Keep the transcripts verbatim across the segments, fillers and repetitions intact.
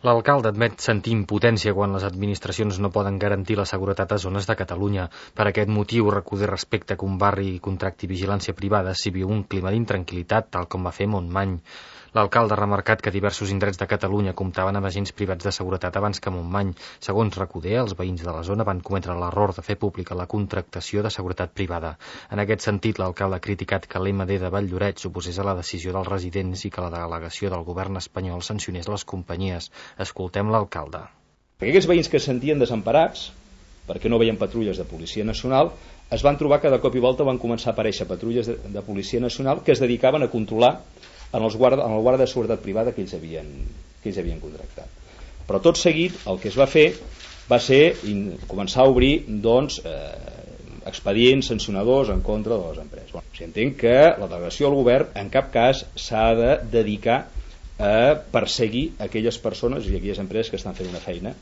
L'alcalde admet sentir impotència quan les administracions no poden garantir la seguretat a zones de Catalunya. Per aquest motiu recull respecte que un barri contracti vigilància privada si viu un clima d'intranquil·litat, tal com va fer Montmany. L'alcalde ha remarcat que diversos indrets de Catalunya comptaven amb agents privats de seguretat abans que Montmany. Segons Recoder, els veïns de la zona van cometre l'error de fer pública la contractació de seguretat privada. En aquest sentit, l'alcalde ha criticat que l'M D de Valldoreix s'oposés a la decisió dels residents i que la delegació del govern espanyol sancionés les companyies. Escoltem l'alcalde. Aquests veïns que es sentien desemparats, perquè no veien patrulles de Policia Nacional, es van trobar que de cop i volta van començar a aparèixer patrulles de, de Policia Nacional que es dedicaven a controlar en, els guarda, en el guarda de seguretat privada que ells, havien, que ells havien contractat. Però tot seguit el que es va fer va ser in, començar a obrir doncs, eh, expedients sancionadors en contra de les empreses. Bueno, si entenc que la delegació del govern en cap cas s'ha de dedicar a perseguir aquelles persones i aquelles empreses que estan fent una feina.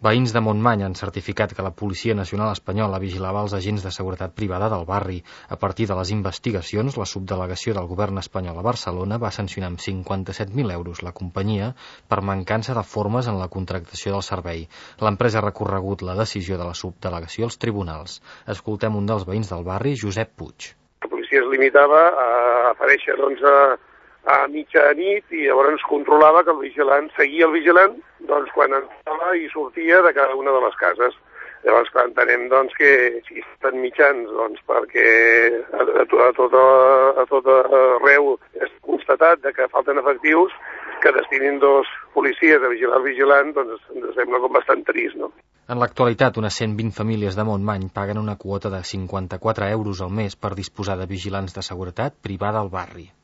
Veïns de Montmany han certificat que la Policia Nacional Espanyola vigilava els agents de seguretat privada del barri. A partir de les investigacions, la subdelegació del govern espanyol a Barcelona va sancionar amb cinquanta-set mil euros la companyia per mancança de formes en la contractació del servei. L'empresa ha recorregut la decisió de la subdelegació als tribunals. Escoltem un dels veïns del barri, Josep Puig. La policia es limitava a aparèixer doncs, a a mitja nit i llavors controlava que el vigilant seguia el vigilant doncs, quan entrava i sortia de cada una de les cases. Llavors, clar, entenem doncs, que si estan mitjans doncs, perquè a, a, a, tot, a tot arreu és constatat de que falten efectius, que destinin dos policies a vigilar el vigilant, doncs ens sembla com bastant trist, no? En l'actualitat, unes cent vint famílies de Montmany paguen una quota de cinquanta-quatre euros al mes per disposar de vigilants de seguretat privada al barri.